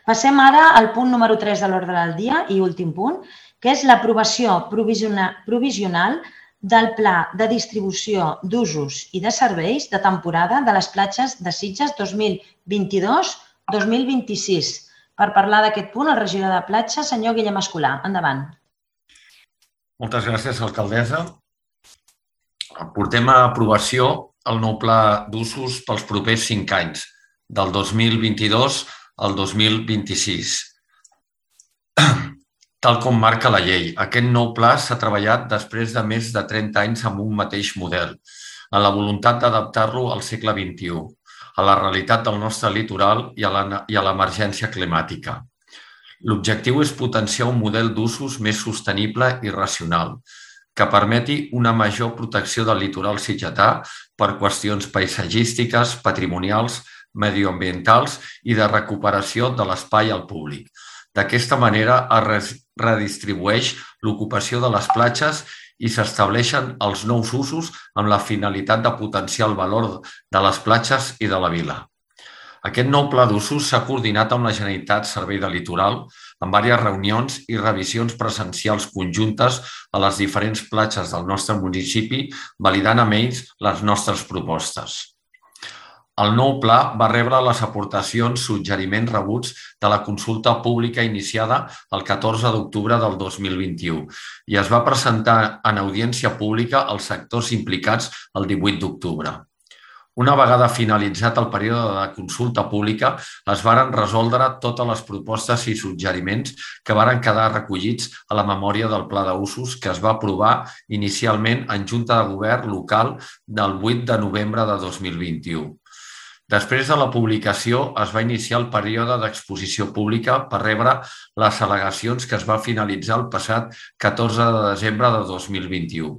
Passem ara al punt número 3 de l'ordre del dia i últim punt, que és l'aprovació provisional del Pla de Distribució d'Usos i de Serveis de temporada de les platges de Sitges 2022-2026. Per parlar d'aquest punt, el regidor de platja, senyor Guillem Escolà. Endavant. Moltes gràcies, alcaldessa. Portem a aprovació el nou pla d'usos pels propers 5 anys, del 2022 al 2026. Tal com marca la llei, aquest nou pla s'ha treballat després de més de 30 anys amb un mateix model, amb la voluntat d'adaptar-lo al segle XXI, a la realitat del nostre litoral i a l'emergència climàtica. L'objectiu és potenciar un model d'usos més sostenible i racional, que permeti una major protecció del litoral sitgetà per qüestions paisatgístiques, patrimonials, medioambientals i de recuperació de l'espai al públic. D'aquesta manera es redistribueix l'ocupació de les platges i s'estableixen els nous usos amb la finalitat de potenciar el valor de les platges i de la vila. Aquest nou pla d'usos s'ha coordinat amb la Generalitat Servei de Litoral en diverses reunions i revisions presencials conjuntes a les diferents platges del nostre municipi, validant amb ells les nostres propostes. El nou pla va rebre les aportacions, suggeriments rebuts de la consulta pública iniciada el 14 d'octubre del 2021 i es va presentar en audiència pública als sectors implicats el 18 d'octubre. Una vegada finalitzat el període de consulta pública, es varen resoldre totes les propostes i suggeriments que varen quedar recollits a la memòria del Pla d'Usos que es va aprovar inicialment en Junta de Govern local del 8 de novembre de 2021. Després de la publicació, es va iniciar el període d'exposició pública per rebre les al·legacions que es va finalitzar el passat 14 de desembre de 2021.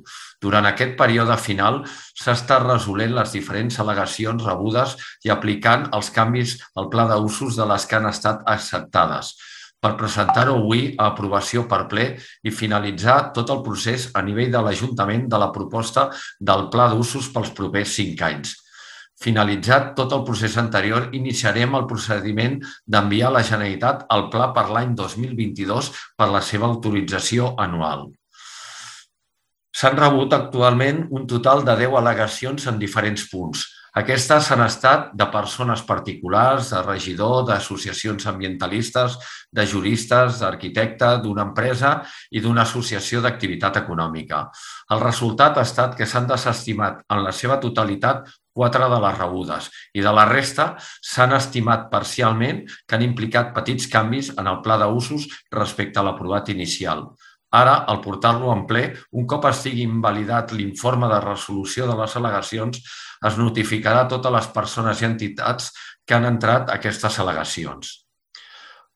Durant aquest període final s'ha estat resolent les diferents al·legacions rebudes i aplicant els canvis al pla d'usos de les que han estat acceptades, per presentar-ho avui a aprovació per ple i finalitzar tot el procés a nivell de l'Ajuntament de la proposta del pla d'usos pels propers 5 anys. Finalitzat tot el procés anterior, iniciarem el procediment d'enviar a la Generalitat el pla per l'any 2022 per la seva autorització anual. S'han rebut actualment un total de 10 al·legacions en diferents punts. Aquestes han estat de persones particulars, de regidor, d'associacions ambientalistes, de juristes, d'arquitecte, d'una empresa i d'una associació d'activitat econòmica. El resultat ha estat que s'han desestimat en la seva totalitat 4 de les rebudes i de la resta s'han estimat parcialment que han implicat petits canvis en el pla d'usos respecte a l'aprovat inicial. Ara, al portar-lo en ple, un cop estigui invalidat l'informe de resolució de les al·legacions, es notificarà a totes les persones i entitats que han entrat aquestes al·legacions.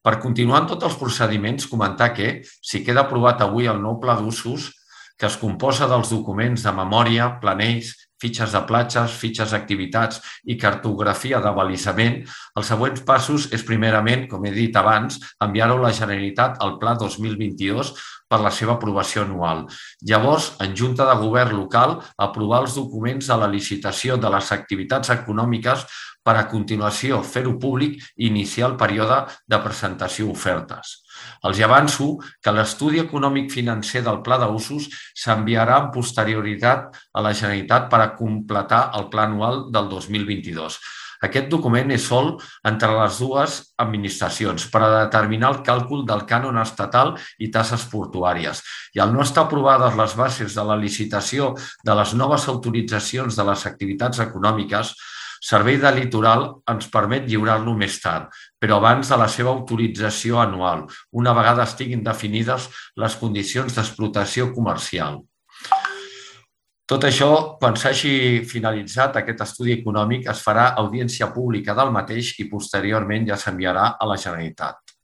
Per continuar en tots els procediments, comentar que, si queda aprovat avui el nou pla d'usos, que es composa dels documents de memòria, planells, fitxes de platges, fitxes d'activitats i cartografia d'abalisament, els següents passos és primerament, com he dit abans, enviar-ho a la Generalitat al Pla 2022 per la seva aprovació anual. Llavors, en Junta de Govern local, aprovar els documents de la licitació de les activitats econòmiques per a continuació fer-ho públic i iniciar el període de presentació d'ofertes. Els avanço que l'estudi econòmic financer del Pla d'Usos s'enviarà amb posterioritat a la Generalitat per a completar el Pla anual del 2022. Aquest document és sol entre les dues administracions per a determinar el càlcul del cànon estatal i taxes portuàries. I al no estar aprovades les bases de la licitació de les noves autoritzacions de les activitats econòmiques, Servei de Litoral ens permet lliurar-lo més tard, però abans de la seva autorització anual, una vegada estiguin definides les condicions d'explotació comercial. Tot això, quan s'hagi finalitzat aquest estudi econòmic, es farà audiència pública del mateix i posteriorment ja s'enviarà a la Generalitat.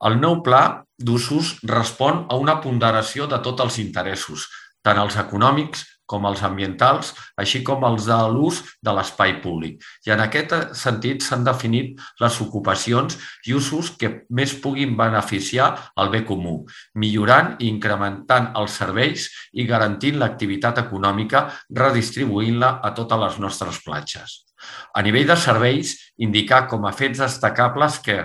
El nou pla d'usos respon a una ponderació de tots els interessos, tant els econòmics com els ambientals, així com els de l'ús de l'espai públic. I en aquest sentit s'han definit les ocupacions i usos que més puguin beneficiar el bé comú, millorant i incrementant els serveis i garantint l'activitat econòmica, redistribuint-la a totes les nostres platges. A nivell de serveis, indicar com a fets destacables que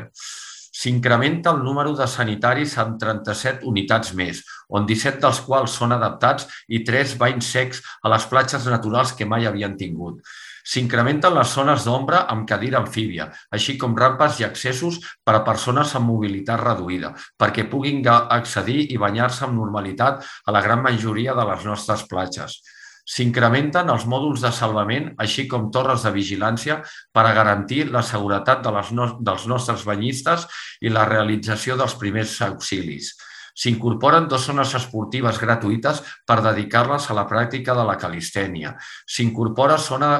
s'incrementa el número de sanitaris amb 37 unitats més, on 17 dels quals són adaptats i 3 banys secs a les platges naturals que mai havien tingut. S'incrementen les zones d'ombra amb cadira amfíbia, així com rampes i accessos per a persones amb mobilitat reduïda, perquè puguin accedir i banyar-se amb normalitat a la gran majoria de les nostres platges. S'incrementen els mòduls de salvament, així com torres de vigilància per a garantir la seguretat dels nostres banyistes i la realització dels primers auxilis. S'incorporen 2 zones esportives gratuïtes per dedicar-les a la pràctica de la calistènia. S'incorpora zona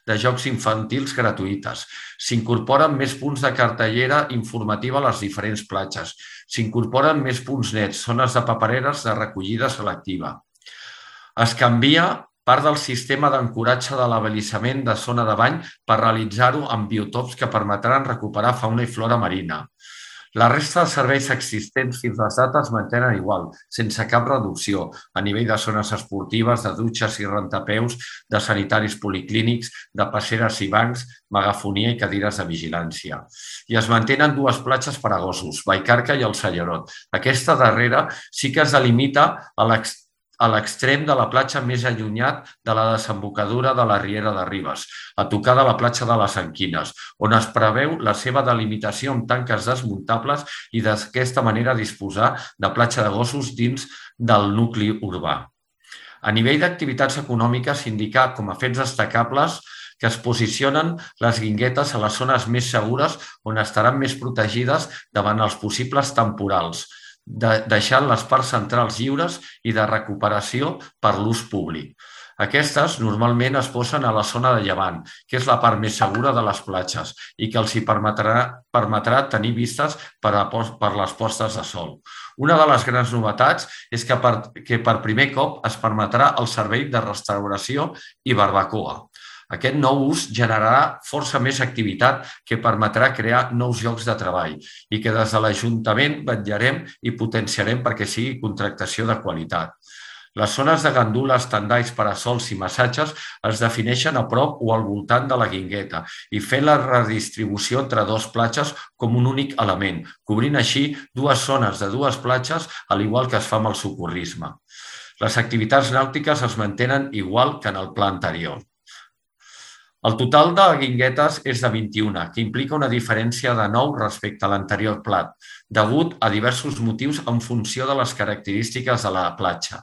de jocs infantils gratuïtes. S'incorporen més punts de cartellera informativa a les diferents platges. S'incorporen més punts nets, zones de papereres de recollida selectiva. Es canvia part del sistema d'ancoratge de l'abalisament de zona de bany per realitzar-ho amb biotops que permetran recuperar fauna i flora marina. La resta de serveis existents fins a les dates es mantenen igual, sense cap reducció, a nivell de zones esportives, de dutxes i rentapeus, de sanitaris policlínics, de passeres i bancs, megafonia i cadires de vigilància. I es mantenen 2 platges per a gossos, Vallcarca i el Sallerot. Aquesta darrera sí que es delimita a l'extrem de la platja més allunyat de la desembocadura de la Riera de Ribes, a tocar de la platja de les Anquines, on es preveu la seva delimitació amb tanques desmuntables i d'aquesta manera disposar de platja de gossos dins del nucli urbà. A nivell d'activitats econòmiques, indicar com a fets destacables que es posicionen les guinguetes a les zones més segures on estaran més protegides davant els possibles temporals, deixant les parts centrals lliures i de recuperació per l'ús públic. Aquestes normalment es posen a la zona de llevant, que és la part més segura de les platges i que els hi permetrà tenir vistes per les postes de sol. Una de les grans novetats és que per primer cop es permetrà el servei de restauració i barbacoa. Aquest nou ús generarà força més activitat que permetrà crear nous llocs de treball i que des de l'Ajuntament vetllarem i potenciarem perquè sigui contractació de qualitat. Les zones de gandules, tendalls, parasols i massatges es defineixen a prop o al voltant de la guingueta i fer la redistribució entre 2 platges com un únic element, cobrint així 2 zones de 2 platges, al igual que es fa amb el socorrisme. Les activitats nàutiques es mantenen igual que en el pla anterior. El total de guinguetes és de 21, que implica una diferència de 9 respecte a l'anterior plat, degut a diversos motius en funció de les característiques de la platja.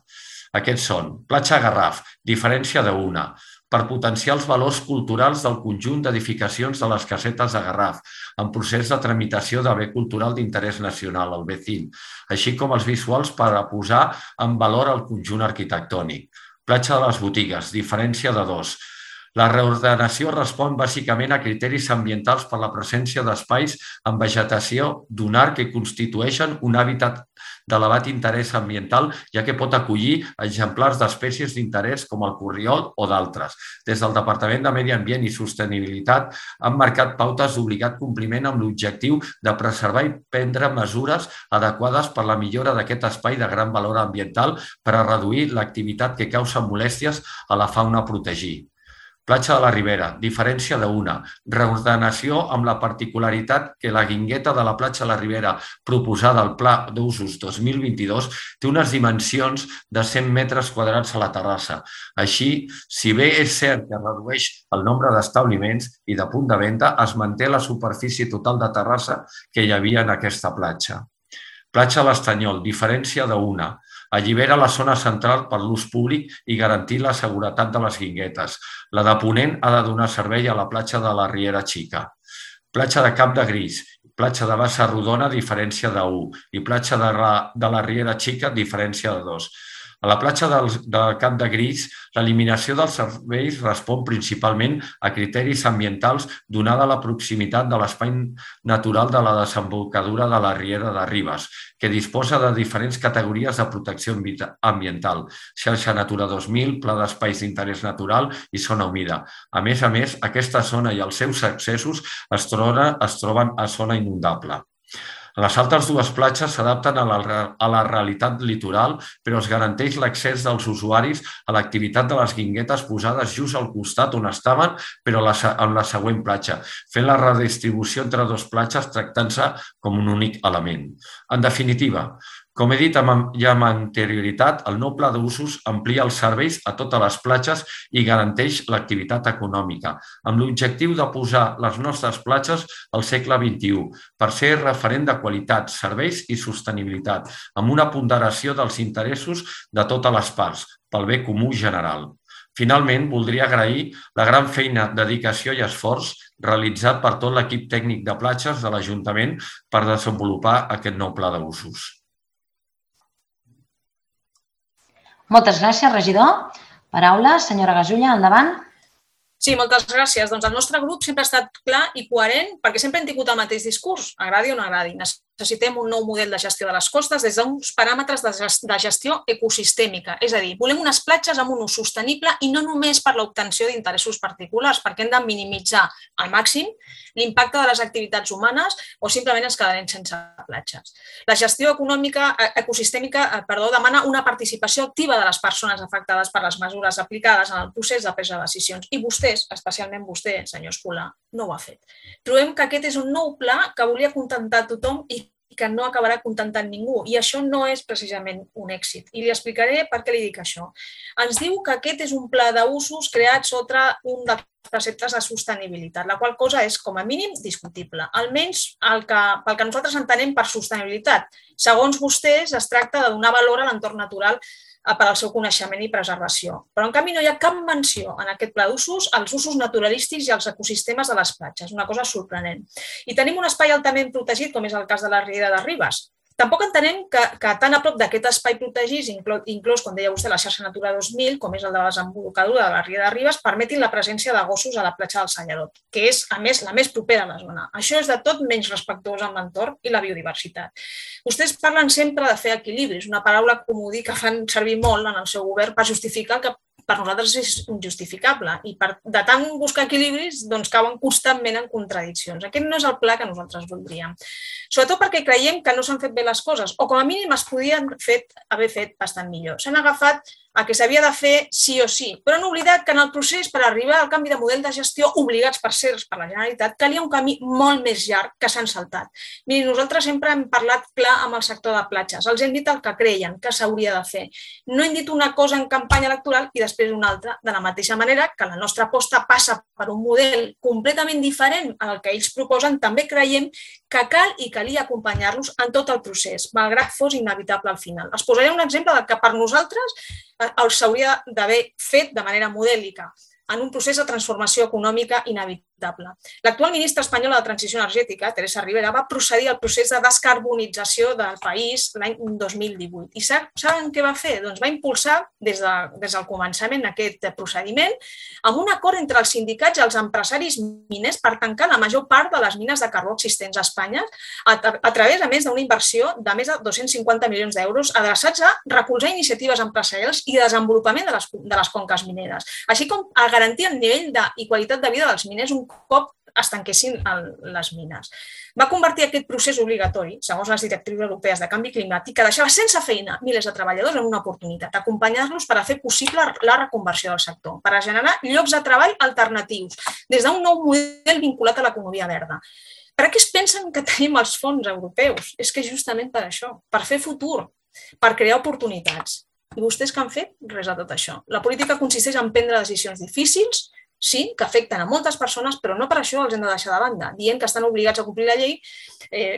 Aquests són: platja Garraf, diferència de 1, per potenciar els valors culturals del conjunt d'edificacions de les casetes de Garraf, en procés de tramitació de bé cultural d'interès nacional, el BECIN, així com els visuals per a posar en valor el conjunt arquitectònic. Platja de les Botigues, diferència de 2. La reordenació respon bàsicament a criteris ambientals per la presència d'espais amb vegetació dunar que constitueixen un hàbitat d'elevat interès ambiental, ja que pot acollir exemplars d'espècies d'interès com el corriol o d'altres. Des del Departament de Medi Ambient i Sostenibilitat han marcat pautes d'obligat compliment amb l'objectiu de preservar i prendre mesures adequades per la millora d'aquest espai de gran valor ambiental per a reduir l'activitat que causa molèsties a la fauna a protegir. Platja de la Ribera, diferència de 1, reordenació amb la particularitat que la guingueta de la platja de la Ribera proposada al Pla d'Usos 2022 té unes dimensions de 100 metres quadrats a la terrassa. Així, si bé és cert que redueix el nombre d'establiments i de punt de venda, es manté la superfície total de terrassa que hi havia en aquesta platja. Platja de l'Estanyol, diferència de 1. Allibera la zona central per l'ús públic i garantir la seguretat de les guinguetes. La de Ponent ha de donar servei a la platja de la Riera Xica. Platja de Cap de Gris, platja de Bassa Rodona, diferència de 1, i platja de la Riera Xica, diferència de 2. A la platja del Cap de Gris, l'eliminació dels serveis respon principalment a criteris ambientals donada la proximitat de l'espai natural de la desembocadura de la Riera de Ribes, que disposa de diferents categories de protecció ambiental, xarxa Natura 2000, pla d'espais d'interès natural i zona humida. A més, aquesta zona i els seus accessos es troben a zona inundable. Les altres dues platges s'adapten a la realitat litoral, però es garanteix l'accés dels usuaris a l'activitat de les guinguetes posades just al costat on estaven, però en la següent platja, fent la redistribució entre dues platges tractant-se com un únic element. En definitiva, com he dit ja amb anterioritat, el nou pla d'usos amplia els serveis a totes les platges i garanteix l'activitat econòmica, amb l'objectiu de posar les nostres platges al segle XXI per ser referent de qualitat, serveis i sostenibilitat, amb una ponderació dels interessos de totes les parts, pel bé comú general. Finalment, voldria agrair la gran feina, dedicació i esforç realitzat per tot l'equip tècnic de platges de l'Ajuntament per desenvolupar aquest nou pla d'usos. Moltes gràcies, regidor. Paraula, senyora Gasulla, endavant. Sí, moltes gràcies. Doncs el nostre grup sempre ha estat clar i coherent perquè sempre hem tingut el mateix discurs, agradi o no agradi. Necessitem un nou model de gestió de les costes des d'uns paràmetres de gestió ecosistèmica. És a dir, volem unes platges amb un ús sostenible i no només per l'obtenció d'interessos particulars, perquè hem de minimitzar al màxim l'impacte de les activitats humanes o simplement ens quedarem sense platges. La gestió ecosistèmica demana una participació activa de les persones afectades per les mesures aplicades en el procés de presa de decisions i vostès, especialment vostè, senyor Escolà, no ho ha fet. Trobem que aquest és un nou pla que volia contentar tothom i que no acabarà contentant ningú. I això no és precisament un èxit. I li explicaré per què li dic això. Ens diu que aquest és un pla d'usos creat sota un dels preceptes de sostenibilitat, la qual cosa és, com a mínim, discutible. Almenys pel que nosaltres entenem per sostenibilitat. Segons vostès, es tracta de donar valor a l'entorn natural per al seu coneixement i preservació. Però, en canvi, no hi ha cap menció en aquest pla d'usos als usos naturalístics i als ecosistemes de les platges, una cosa sorprenent. I tenim un espai altament protegit, com és el cas de la Riera de Ribes. Tampoc entenem que tan a prop d'aquest espai protegit, inclòs, com deia vostè, la xarxa Natura 2000, com és el de la desembocadura de la Riera de Ribes, permetin la presència de gossos a la platja del Salladot, que és, a més, la més propera a la zona. Això és de tot menys respectuós amb l'entorn i la biodiversitat. Vostès parlen sempre de fer equilibris, una paraula comodí que fan servir molt en el seu govern per justificar el que per nosaltres és injustificable i de tant buscar equilibris doncs cauen constantment en contradiccions. Aquest no és el pla que nosaltres voldríem. Sobretot perquè creiem que no s'han fet bé les coses o com a mínim es podien haver fet bastant millor. S'han agafat a que s'havia de fer sí o sí, però han oblidat que en el procés per arribar al canvi de model de gestió obligats per la Generalitat calia un camí molt més llarg que s'han saltat. Miri, nosaltres sempre hem parlat clar amb el sector de platges, els hem dit el que creien que s'hauria de fer. No hem dit una cosa en campanya electoral i després una altra, de la mateixa manera que la nostra aposta passa per un model completament diferent al que ells proposen, també creiem que cal i calia acompanyar-los en tot el procés, malgrat fos inevitable al final. Els posaré un exemple del que per nosaltres s'hauria d'haver fet de manera modèlica en un procés de transformació econòmica inevitable. L'actual ministra espanyola de Transició Energètica, Teresa Rivera, va procedir al procés de descarbonització del país l'any 2018. I saben què va fer? Doncs va impulsar des del començament aquest procediment amb un acord entre els sindicats i els empresaris miners per tancar la major part de les mines de carbó existents a Espanya a través, a més, d'una inversió de més de 250 milions d'euros adreçats a recolzar iniciatives empresarials i desenvolupament de les conques mineres, així com a garantir el nivell i qualitat de vida dels miners un cop es tanquessin les mines. Va convertir aquest procés obligatori, segons les directrius europees de canvi climàtic, que deixava sense feina milers de treballadors en una oportunitat, acompanyar-los per a fer possible la reconversió del sector, per a generar llocs de treball alternatius, des d'un nou model vinculat a l'economia verda. Per què es pensen que tenim els fons europeus? És que justament per això, per fer futur, per crear oportunitats. I vostès què han fet? Res de tot això. La política consisteix en prendre decisions difícils, sí, que afecten a moltes persones, però no per això els hem de deixar de banda, dient que estan obligats a complir la llei,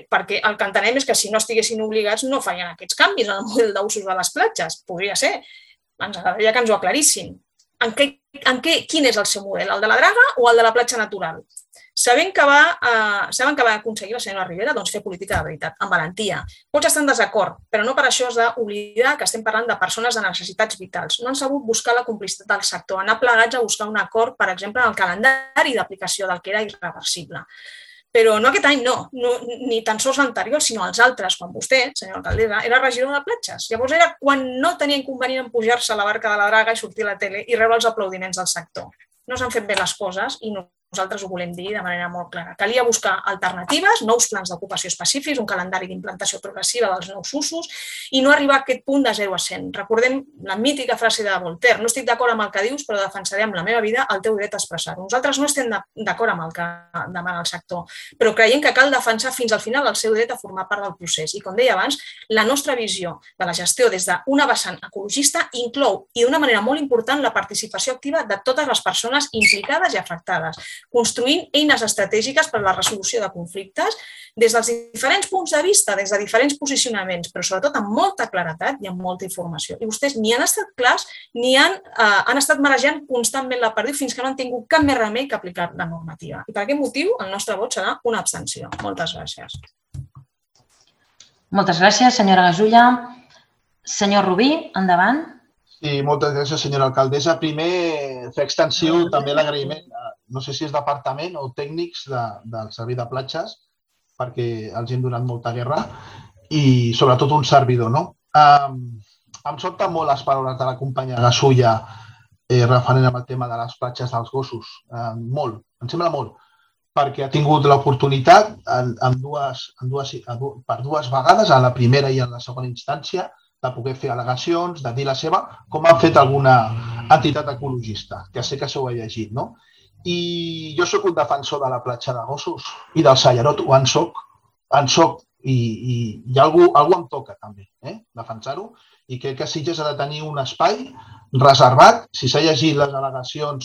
perquè el que entenem és que si no estiguessin obligats no farien aquests canvis en el model d'usos de les platges. Podria ser. Ens agradaria que ens ho aclarissin. quin és el seu model, el de la draga o el de la platja natural. Saben que va aconseguir la senyora Ribera fer política de veritat, amb valentia. Pots estar en desacord, però no per això has d'oblidar que estem parlant de persones de necessitats vitals. No han sabut buscar la complicitat del sector, anar plegats a buscar un acord, per exemple, en el calendari d'aplicació del que era irreversible. Però no aquest any, no, ni tan sols l'anterior, sinó els altres, quan vostè, senyora alcaldessa, era regidor de platges. Llavors era quan no tenia inconvenient en pujar-se a la barca de la draga i sortir a la tele i rebre els aplaudiments del sector. No s'han fet bé les coses i nosaltres ho volem dir de manera molt clara. Calia buscar alternatives, nous plans d'ocupació específics, un calendari d'implantació progressiva dels nous usos i no arribar a aquest punt de 0 a 100. Recordem la mítica frase de Voltaire: no estic d'acord amb el que dius, però defensaré amb la meva vida el teu dret a expressar-ho. Nosaltres no estem d'acord amb el que demana el sector, però creiem que cal defensar fins al final el seu dret a formar part del procés. I com deia abans, la nostra visió de la gestió des d'una vessant ecologista inclou, i d'una manera molt important, la participació activa de totes les persones implicades i afectades, construint eines estratègiques per a la resolució de conflictes des dels diferents punts de vista, des de diferents posicionaments, però sobretot amb molta claredat i amb molta informació. I vostès ni han estat clars ni han estat marejant constantment la perdiu fins que no han tingut cap més remei que aplicar la normativa. I per aquest motiu el nostre vot serà una abstenció. Moltes gràcies. Moltes gràcies, senyora Gasulla. Senyor Rubí, endavant. Sí, moltes gràcies, senyora alcaldessa. Primer, fer extensiu també l'agraïment, no sé si és departament o tècnics del servei de platges, perquè els hem donat molta guerra i sobretot un servidor, no? Em sobten molt les paraules de la companya Gasulla referent amb el tema de les platges dels gossos. Molt, em sembla molt, perquè ha tingut l'oportunitat per dues vegades, a la primera i a la segona instància, de poder fer al·legacions, de dir la seva, com ha fet alguna entitat ecologista, que sé que s'ho ha llegit, no? I jo sóc un defensor de la platja de gossos i del Sallarot, en soc, i algú em toca també, defensar-ho, i crec que Sitges ha de tenir un espai reservat. Si s'ha llegit les al·legacions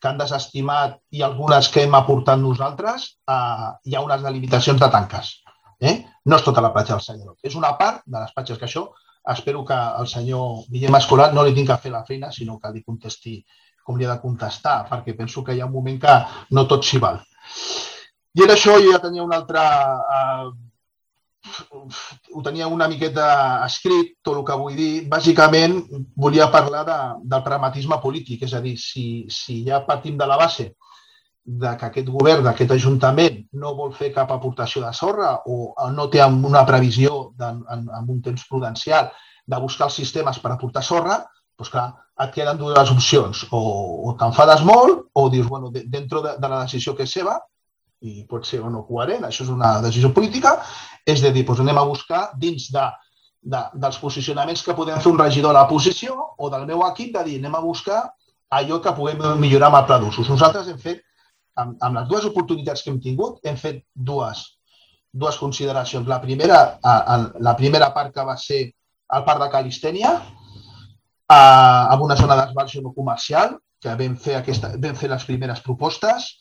que han desestimat i algunes que hem aportat nosaltres, hi ha unes delimitacions de tanques. No és tota la platja del Sallarot, és una part de les platges que això espero que el senyor Guillem Escolar no li tingui que fer la feina, sinó que li contesti com li ha de contestar, perquè penso que hi ha un moment que no tot s'hi val. I en això jo ja tenia un altre... Ho tenia una miqueta escrit, tot el que vull dir. Bàsicament, volia parlar del pragmatisme polític, és a dir, si ja partim de la base que aquest govern, d'aquest ajuntament, no vol fer cap aportació de sorra o no té una previsió en un temps prudencial de buscar els sistemes per aportar sorra, doncs clar, et queden dues opcions. O t'enfades molt o dius, bueno, dintre de la decisió que és seva, i pot ser o no coherent, això és una decisió política, és de dir, doncs anem a buscar dins dels posicionaments que podem fer un regidor a la posició o del meu equip, de dir, anem a buscar allò que puguem millorar amb el pla d'usos. Nosaltres hem fet, amb les dues oportunitats que hem tingut, hem fet dues consideracions. La primera part que va ser el parc de Calistènia, amb una zona d'esbarjo no comercial, que vam fer les primeres propostes.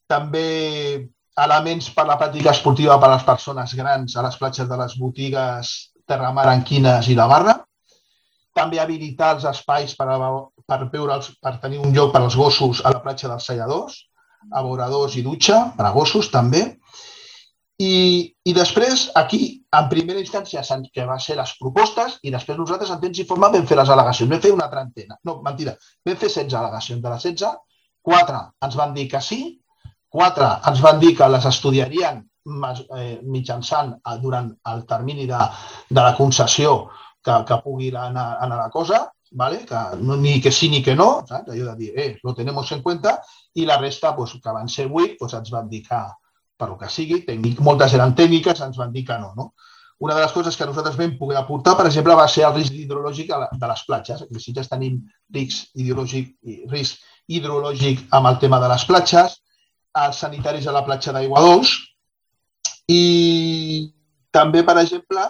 També elements per la pràctica esportiva per a les persones grans a les platges de les botigues Terramar, Anquines i la Barra. També habilitar els espais per tenir un lloc per als gossos a la platja dels Salladors, abeuradors i dutxa per a gossos també. I després, aquí, en primera instància, que va ser les propostes, i després nosaltres, en temps i forma, vam fer les al·legacions. Vam fer una trentena. No, mentida, vam fer 16 al·legacions. De les 16, 4 ens van dir que sí, 4 ens van dir que les estudiarien mitjançant durant el termini de la concessió que pugui anar a la cosa, ni que sí ni que no, allò de dir, lo tenemos en cuenta, i la resta, que van ser 8, ens van dir que, per el que sigui, moltes eren tècniques, ens van dir que no. Una de les coses que nosaltres vam poder aportar, per exemple, va ser el risc hidrològic de les platges. Si ja tenim risc hidrològic amb el tema de les platges, els sanitaris a la platja d'Aigua Dols i també, per exemple,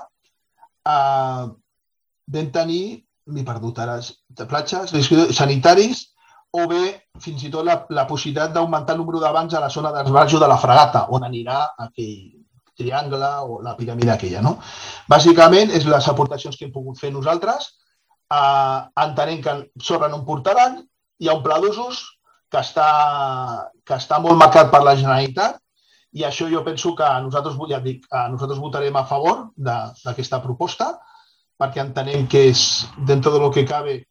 vam tenir, m'he perdut ara, platges, sanitaris o bé fins i tot la possibilitat d'augmentar el número de bancs a la zona d'esbarjo de la Fragata, on anirà aquell triangle o la piràmide aquella. Bàsicament, és les aportacions que hem pogut fer nosaltres. Entenem que sorra no en portaran hi ha un pla d'usos que està molt marcat per la Generalitat i això jo penso que nosaltres votarem a favor d'aquesta proposta perquè entenem que és, dintre del que cabe,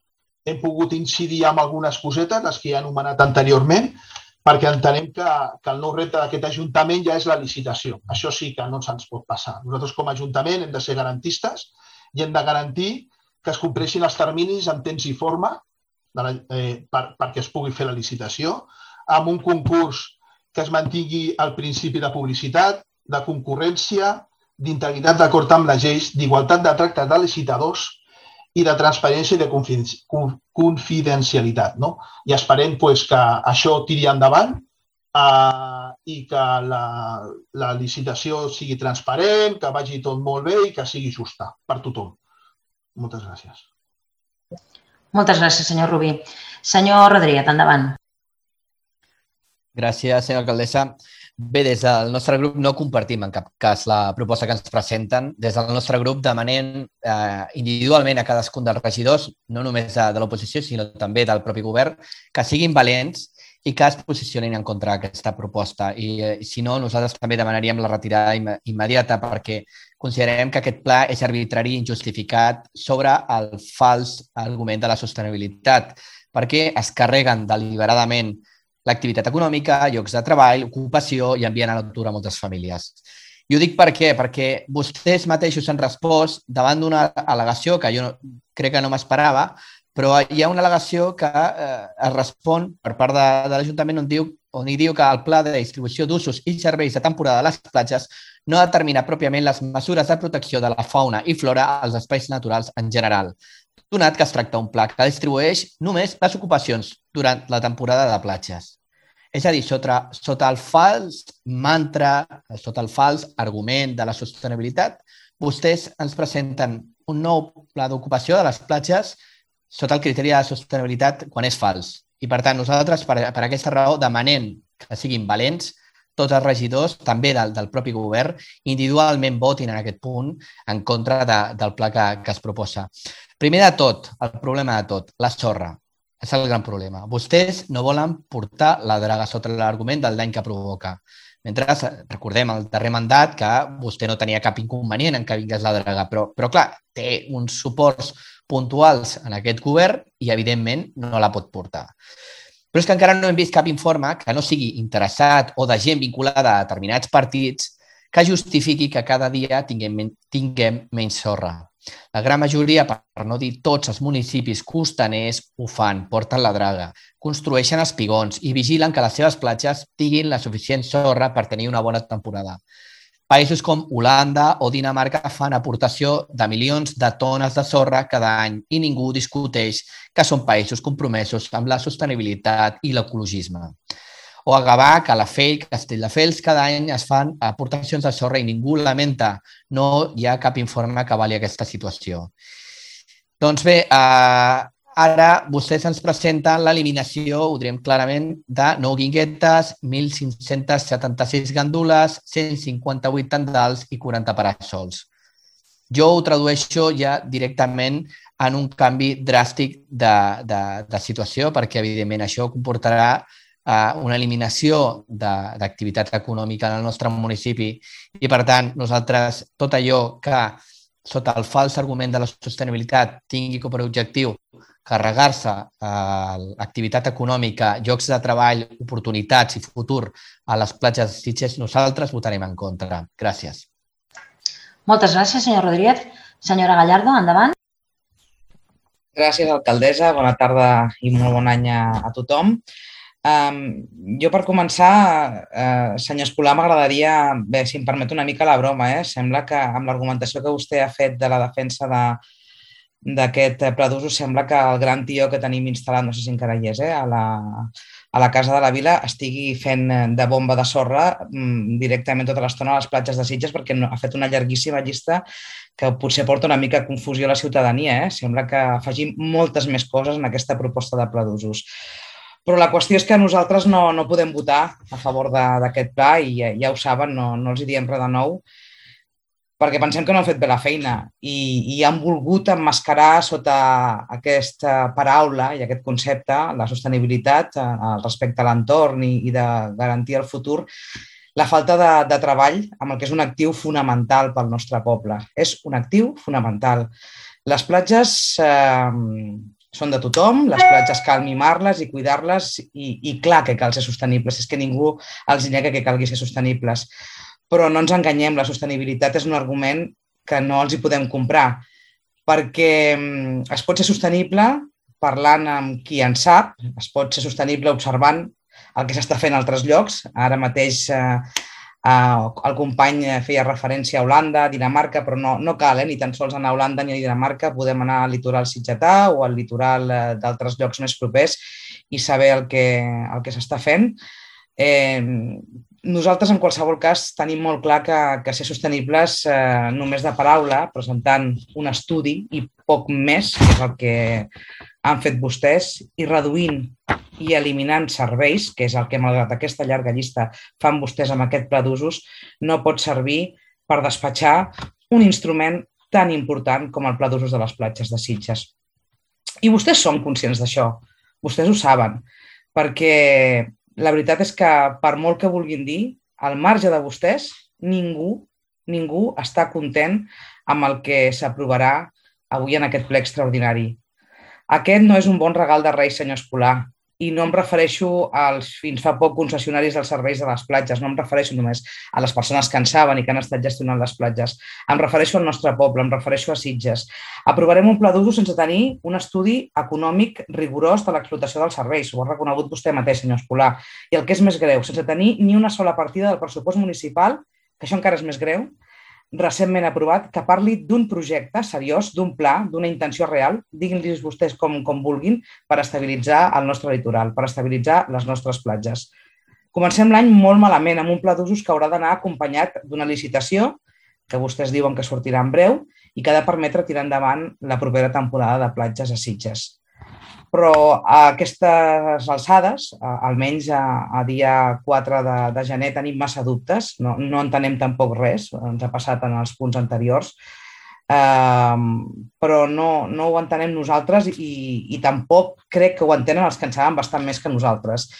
hem pogut incidir en algunes cosetes, les que ja he anomenat anteriorment, perquè entenem que el nou repte d'aquest Ajuntament ja és la licitació. Això sí que no se'ns pot passar. Nosaltres com a Ajuntament hem de ser garantistes i hem de garantir que es compleixin els terminis en temps i forma perquè es pugui fer la licitació, amb un concurs que es mantingui el principi de publicitat, de concurrència, d'integritat d'acord amb les lleis, d'igualtat de tracte de licitadors i de transparència i de confidencialitat. I esperem que això tiri endavant i que la licitació sigui transparent, que vagi tot molt bé i que sigui justa per tothom. Moltes gràcies. Moltes gràcies, senyor Rubí. Senyor Rodríguez, endavant. Gràcies, senyora alcaldessa. Bé, des del nostre grup no compartim en cap cas la proposta que ens presenten. Des del nostre grup demanem individualment a cadascun dels regidors, no només de l'oposició, sinó també del propi govern, que siguin valents i que es posicionin en contra d'aquesta proposta. I si no, nosaltres també demanaríem la retirada immediata perquè considerem que aquest pla és arbitrari i injustificat sobre el fals argument de la sostenibilitat, perquè es carreguen deliberadament l'activitat econòmica, llocs de treball, ocupació i envien a l'atur a moltes famílies. I ho dic per què? Perquè vostès mateixos han respost davant d'una al·legació que jo crec que no m'esperava, però hi ha una al·legació que es respon per part de l'Ajuntament on hi diu que el pla de distribució d'usos i serveis de temporada a les platges no determina pròpiament les mesures de protecció de la fauna i flora als espais naturals en general, donat que es tracta d'un pla que distribueix només les ocupacions durant la temporada de platges. És a dir, sota el fals mantra, sota el fals argument de la sostenibilitat, vostès ens presenten un nou pla d'ocupació de les platges sota el criteri de la sostenibilitat quan és fals. I, per tant, nosaltres, per aquesta raó, demanem que siguin valents tots els regidors, també del propi govern, individualment votin en aquest punt en contra del pla que es proposa. Primer de tot, el problema de tot, la sorra. És el gran problema. Vostès no volen portar la draga sota l'argument del dany que provoca. Mentre recordem el darrer mandat que vostè no tenia cap inconvenient en que vingués la draga, però clar, té uns suports puntuals en aquest govern i, evidentment, no la pot portar. Però és que encara no hem vist cap informe que no sigui interessat o de gent vinculada a determinats partits que justifiqui que cada dia tinguem menys sorra. La gran majoria, per no dir tots els municipis costaners, ho fan, porten la draga, construeixen espigons i vigilen que les seves platges tinguin la suficient sorra per tenir una bona temporada. Països com Holanda o Dinamarca fan aportació de milions de tones de sorra cada any i ningú discuteix que són països compromesos amb la sostenibilitat i l'ecologisme. O a Gavà, Calafell, Castelldefels, cada any es fan aportacions de sorra i ningú lamenta. No hi ha cap informe que avali aquesta situació. Doncs bé, ara vostès ens presenten l'eliminació, ho direm clarament, de 9 guinguetes, 1.576 gandules, 158 tendals i 40 parassols. Jo ho tradueixo ja directament en un canvi dràstic de situació perquè, evidentment, això comportarà una eliminació d'activitat econòmica en el nostre municipi i, per tant, nosaltres tot allò que, sota el fals argument de la sostenibilitat, tingui com a objectiu carregar-se l'activitat econòmica, llocs de treball, oportunitats i futur a les platges de Sitges, nosaltres votarem en contra. Gràcies. Moltes gràcies, senyor Rodríguez. Senyora Gallardo, endavant. Gràcies, alcaldessa. Bona tarda i molt bon any a tothom. Jo, per començar, senyor Escolà, m'agradaria, si em permet una mica la broma, sembla que amb l'argumentació que vostè ha fet de la defensa d'aquest pla d'usos, sembla que el gran tió que tenim instal·lat, no sé si encara hi és, a la Casa de la Vila, estigui fent de bomba de sorra directament tota l'estona a les platges de Sitges perquè ha fet una llarguíssima llista que potser porta una mica de confusió a la ciutadania. Sembla que afegim moltes més coses en aquesta proposta de pla d'usos. Però la qüestió és que nosaltres no podem votar a favor d'aquest pla i ja ho saben, no els hi diem res de nou, perquè pensem que no han fet bé la feina i han volgut emmascarar sota aquesta paraula i aquest concepte, la sostenibilitat respecte a l'entorn i de garantir el futur, la falta de treball amb el que és un actiu fonamental pel nostre poble. És un actiu fonamental. Les platges són de tothom, les platges cal mimar-les i cuidar-les i clar que cal ser sostenibles, és que ningú els nega que calgui ser sostenibles. Però no ens enganyem, la sostenibilitat és un argument que no els hi podem comprar, perquè es pot ser sostenible parlant amb qui en sap, es pot ser sostenible observant el que s'està fent a altres llocs. Ara mateix el company feia referència a Holanda, a Dinamarca, però no cal, ni tan sols anar a Holanda ni a Dinamarca, podem anar al litoral sitgetà o al litoral d'altres llocs més propers i saber el que s'està fent. Nosaltres, en qualsevol cas, tenim molt clar que ser sostenibles només de paraula, presentant un estudi i poc més, que és el que han fet vostès, i reduint i eliminant serveis, que és el que, malgrat aquesta llarga llista, fan vostès amb aquest pla d'usos, no pot servir per despatxar un instrument tan important com el pla d'usos de les platges de Sitges. I vostès són conscients d'això, vostès ho saben, perquè la veritat és que, per molt que vulguin dir, al marge de vostès, ningú està content amb el que s'aprovarà avui en aquest ple extraordinari. Aquest no és un bon regal de Reis, senyor Escolà, i no em refereixo als fins fa poc concessionaris dels serveis de les platges, no em refereixo només a les persones que en saben i que han estat gestionant les platges, em refereixo al nostre poble, em refereixo a Sitges. Aprovarem un pla d'usos sense tenir un estudi econòmic rigorós de l'explotació dels serveis, ho ha reconegut vostè mateix, senyor Escolà, i el que és més greu, sense tenir ni una sola partida del pressupost municipal, que això encara és més greu, recentment aprovat, que parli d'un projecte seriós, d'un pla, d'una intenció real, diguin-los vostès com vulguin, per estabilitzar el nostre litoral, per estabilitzar les nostres platges. Comencem l'any molt malament, amb un pla d'usos que haurà d'anar acompanyat d'una licitació, que vostès diuen que sortirà en breu, i que ha de permetre tirar endavant la propera temporada de platges a Sitges. Però a aquestes alçades, almenys a dia 4 de gener, tenim massa dubtes, no entenem tampoc res, ens ha passat en els punts anteriors, però no ho entenem nosaltres i tampoc crec que ho entenen els que en saben bastant més que nosaltres.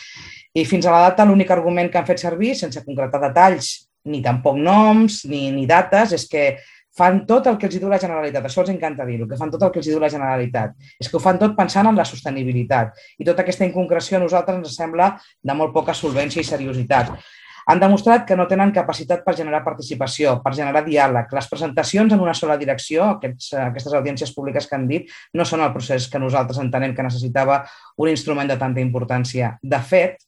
I fins a la data l'únic argument que han fet servir, sense concretar detalls, ni tampoc noms ni dates, és que fan tot el que els diu la Generalitat. Això els encanta dir-ho, que fan tot el que els diu la Generalitat. És que ho fan tot pensant en la sostenibilitat. I tota aquesta inconcreció a nosaltres ens sembla de molt poca solvència i seriositat. Han demostrat que no tenen capacitat per generar participació, per generar diàleg. Les presentacions en una sola direcció, aquestes audiències públiques que han dit, no són el procés que nosaltres entenem que necessitava un instrument de tanta importància. De fet,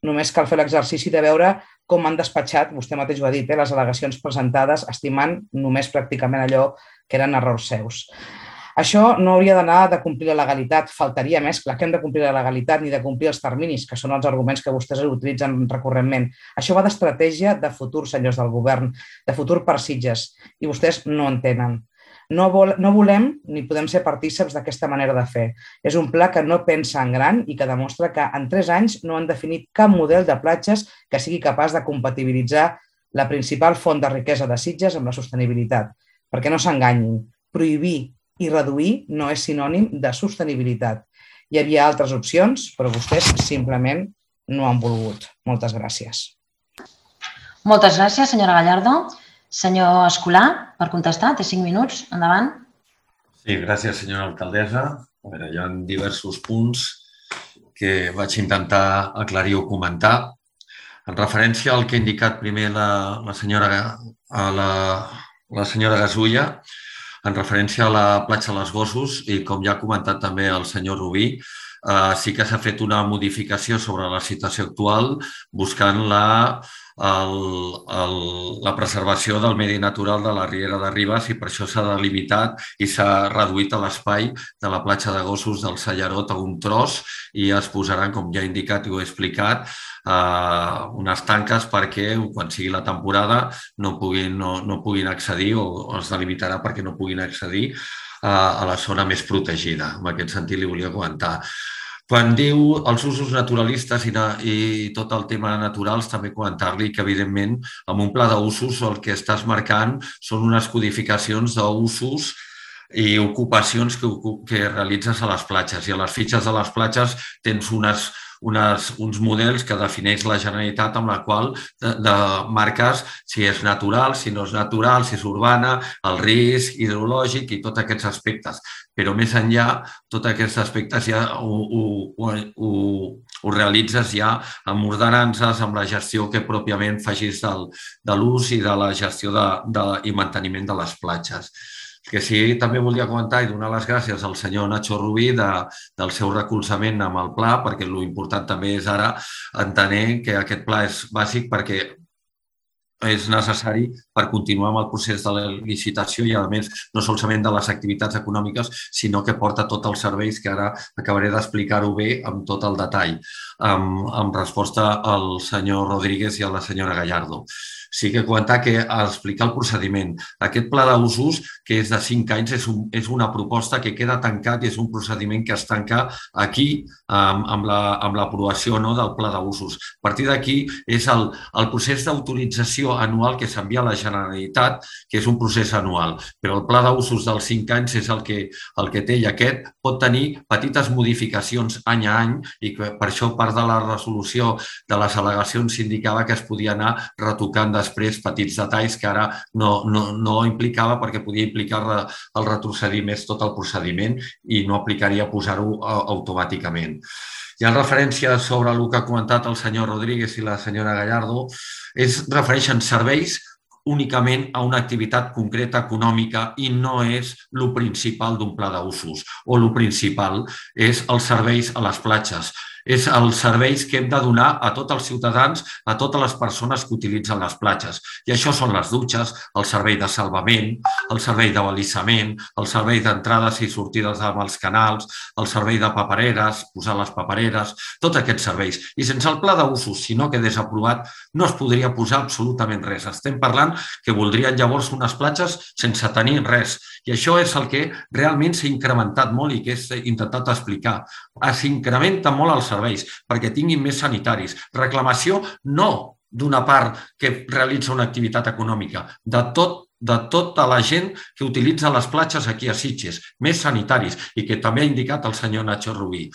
només cal fer l'exercici de veure com han despatxat, vostè mateix ho ha dit, les al·legacions presentades, estimant només pràcticament allò que eren errors seus. Això no hauria d'anar de complir la legalitat, faltaria més, clar que hem de complir la legalitat ni de complir els terminis, que són els arguments que vostès utilitzen recurrentment. Això va d'estratègia de futur, senyors del govern, de futur per Sitges, i vostès no en tenen. No volem ni podem ser partíceps d'aquesta manera de fer. És un pla que no pensa en gran i que demostra que en 3 anys no han definit cap model de platges que sigui capaç de compatibilitzar la principal font de riquesa de Sitges amb la sostenibilitat. Perquè no s'enganyin, prohibir i reduir no és sinònim de sostenibilitat. Hi havia altres opcions, però vostès simplement no han volgut. Moltes gràcies. Moltes gràcies, senyora Gallardo. Senyor Escolà, per contestar, té 5 minuts. Endavant. Sí, gràcies, senyora alcaldessa. Hi ha diversos punts que vaig intentar aclarir o comentar. En referència al que ha indicat primer la senyora Gasulla, en referència a la platja dels Gossos, i com ja ha comentat també el senyor Rubí, sí que s'ha fet una modificació sobre la situació actual buscant la preservació del medi natural de la Riera de Ribes i per això s'ha delimitat i s'ha reduït l'espai de la platja de Gossos del Sallarot a un tros i es posaran, com ja he indicat i ho he explicat, unes tanques perquè quan sigui la temporada no puguin accedir o es delimitarà perquè no puguin accedir a la zona més protegida. En aquest sentit li volia comentar. Quan diu els usos naturalistes i tot el tema naturals, també comentar-li que, evidentment, amb un pla d'usos el que estàs marcant són unes codificacions d'usos i ocupacions que realitzes a les platges. I a les fitxes de les platges tens uns models que defineix la Generalitat amb la qual marques si és natural, si no és natural, si és urbana, el risc hidrològic i tots aquests aspectes. Però més enllà, tots aquests aspectes ja ho realitzes ja amb ordenances, amb la gestió que pròpiament facis de l'ús i de la gestió i manteniment de les platges. Que sí, també volia comentar i donar les gràcies al senyor Nacho Rubí del seu recolzament amb el pla, perquè l'important també és ara entenent que aquest pla és bàsic perquè és necessari per continuar amb el procés de la licitació i, a més, no solament de les activitats econòmiques, sinó que porta tots els serveis que ara acabaré d'explicar-ho bé amb tot el detall, amb resposta al senyor Rodríguez i a la senyora Gallardo. Sí que comentar que explicar el procediment. Aquest pla d'usos, que és de 5 anys, és una proposta que queda tancat i és un procediment que es tanca aquí amb l'aprovació del pla d'usos. A partir d'aquí és el procés d'autorització anual que s'envia a la Generalitat, que és un procés anual, però el pla d'usos dels 5 anys és el que té i aquest pot tenir petites modificacions any a any i per això part de la resolució de les al·legacions s'indicava que es podia anar retocant després petits detalls que ara no implicava perquè podia implicar el retrocedir més tot el procediment i no aplicaria posar-ho automàticament. I en referència sobre el que ha comentat el senyor Rodríguez i la senyora Gallardo, refereixen serveis únicament a una activitat concreta econòmica i no és el principal d'un pla d'usos o el principal és els serveis a les platges. És els serveis que hem de donar a tots els ciutadans, a totes les persones que utilitzen les platges. I això són les dutxes, el servei de salvament, el servei de balissament, el servei d'entrades i sortides amb els canals, el servei de papereres, posar les papereres, tots aquests serveis. I sense el pla d'usos, si no quedés aprovat, no es podria posar absolutament res. Estem parlant que voldrien llavors unes platges sense tenir res. I això és el que realment s'ha incrementat molt i que he intentat explicar. S'incrementa molt els serveis perquè tinguin més sanitaris. Reclamació no d'una part que realitza una activitat econòmica, de tota la gent que utilitza les platges aquí a Sitges, més sanitaris, i que també ha indicat el senyor Nacho Rubí.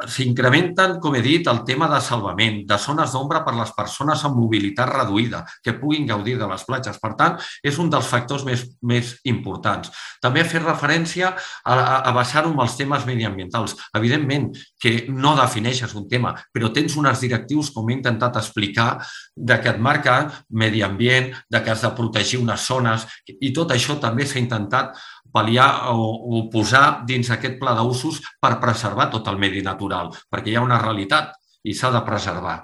S'incrementen, com he dit, el tema de salvament, de zones d'ombra per a les persones amb mobilitat reduïda, que puguin gaudir de les platges. Per tant, és un dels factors més importants. També he fet referència a basar-ho en els temes mediambientals. Evidentment que no defineixes un tema, però tens unes directius, com he intentat explicar, que et marca medi ambient, que has de protegir unes zones, i tot això també s'ha intentat pal·liar o posar dins aquest pla d'usos per preservar tot el medi natural, perquè hi ha una realitat i s'ha de preservar.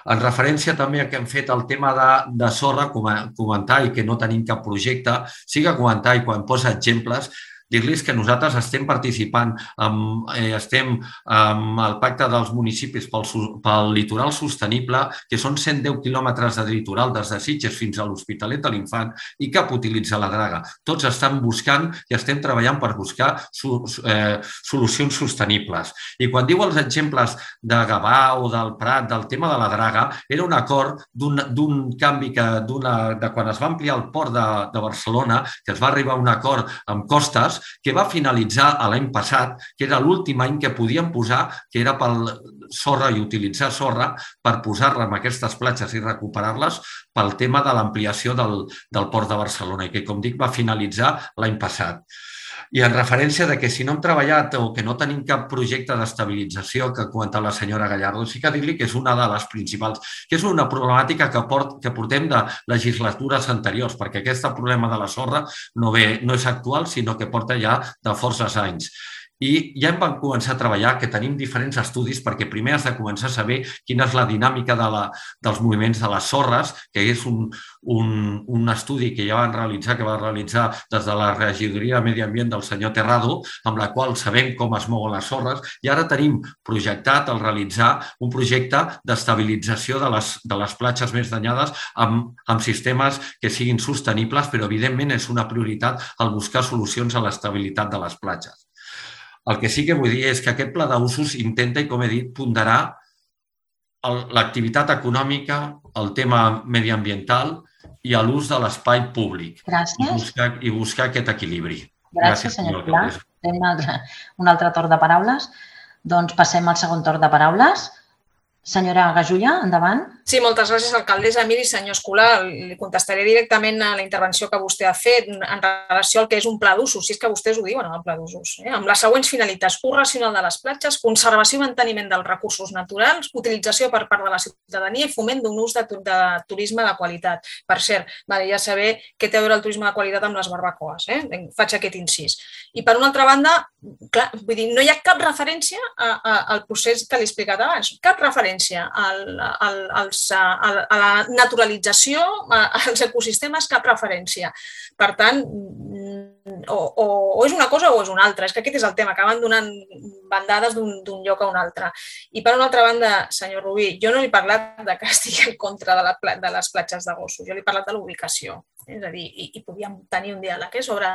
En referència també a que hem fet el tema de sorra, comentar i que no tenim cap projecte, sí que comentar i quan posa exemples, dir-los que nosaltres estem participant, estem amb el pacte dels municipis pel litoral sostenible, que són 110 quilòmetres de litoral des de Sitges fins a l'Hospitalet de l'Infant i cap utilitza la draga. Tots estan buscant i estem treballant per buscar solucions sostenibles. I quan diu els exemples de Gavà o del Prat, del tema de la draga, era un acord d'un canvi de quan es va ampliar el port de Barcelona, que es va arribar a un acord amb Costes, que va finalitzar l'any passat, que era l'últim any que podíem posar, que era per sorra i utilitzar sorra per posar-la en aquestes platges i recuperar-les pel tema de l'ampliació del port de Barcelona i que, com dic, va finalitzar l'any passat. I en referència de que si no hem treballat o que no tenim cap projecte d'estabilització que ha comentat la senyora Gallardo, sí que dir-li que és una de les principals, que és una problemàtica que portem de legislatures anteriors, perquè aquest problema de la sorra no és actual, sinó que porta ja de forces anys. I ja vam començar a treballar, que tenim diferents estudis, perquè primer has de començar a saber quina és la dinàmica dels moviments de les sorres, que és un estudi que ja van realitzar, que va realitzar des de la regidoria de Medi Ambient del senyor Terrado, amb la qual sabem com es mouen les sorres, i ara tenim projectat el realitzar un projecte d'estabilització de les platges més danyades amb sistemes que siguin sostenibles, però evidentment és una prioritat el buscar solucions a l'estabilitat de les platges. El que sí que vull dir és que aquest pla d'usos intenta, i com he dit, ponderar l'activitat econòmica, el tema mediambiental i l'ús de l'espai públic. Gràcies. I buscar aquest equilibri. Gràcies, senyor Pilar. Tenim un altre torn de paraules. Doncs passem al segon torn de paraules. Senyora Gasulla, endavant. Sí, moltes gràcies, alcaldessa. Miri, senyor Escolà, li contestaré directament a la intervenció que vostè ha fet en relació al que és un pla d'usos, si és que vostès ho diuen, el pla d'usos, amb les següents finalitats: ús racional de les platges, conservació i manteniment dels recursos naturals, utilització per part de la ciutadania i foment d'un ús de turisme de qualitat. Per cert, m'agradaria saber què té a veure el turisme de qualitat amb les barbacoes. Faig aquest incís. I per una altra banda, clar, vull dir, no hi ha cap referència al procés que li he explicat abans, cap referència a la naturalització, als ecosistemes, cap referència. Per tant, o és una cosa o és una altra. És que aquest és el tema, acaben donant bandades d'un lloc a un altre. I per una altra banda, senyor Rubí, jo no li he parlat de que estigui en contra de les platges de gossos, jo li he parlat de l'ubicació. És a dir, i podíem tenir un diàleg sobre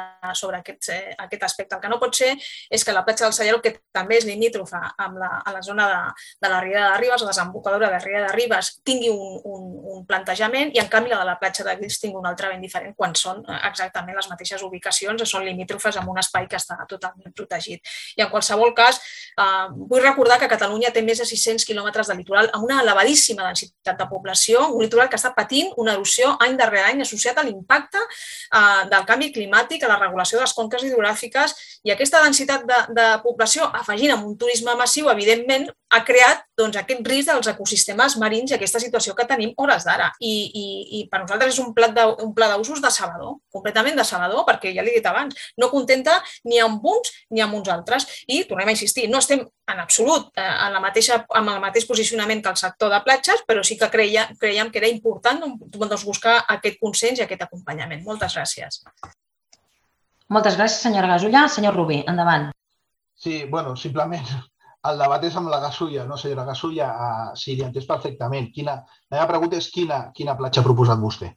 aquest aspecte. El que no pot ser és que la platja del Sallaró, que també és limítrofa a la zona de la Riera de Ribes, la desembocadura de la Riera de Ribes, tingui un plantejament i, en canvi, la de la platja de Guils tingui un altre ben diferent quan són exactament les mateixes ubicacions, són limítrofes amb un espai que està totalment protegit. I, en qualsevol cas, vull recordar que Catalunya té més de 600 quilòmetres de litoral amb una elevadíssima densitat de població, un litoral que està patint una erosió any darrere any associat a l'impacte del canvi climàtic, a la regulació de les conques hidrogràfiques, i aquesta densitat de població, afegint amb un turisme massiu, evidentment, ha creat aquest risc dels ecosistemes marins i aquesta situació que tenim hores d'ara. I per nosaltres és un pla d'usos decebedor, completament decebedor, perquè ja l'he dit abans, no contenta ni amb uns ni amb uns altres. I tornem a insistir, no estem en absolut amb el mateix posicionament que el sector de platges, però sí que creiem que era important buscar aquest consens i aquest acompanyament. Moltes gràcies. Moltes gràcies, senyora Gasulla. Senyor Rubí, endavant. Sí, bueno, simplement el debat és amb la Gasulla, no, senyora Gasulla? Sí, li he entès perfectament. La meva pregunta és quina platja ha proposat vostè?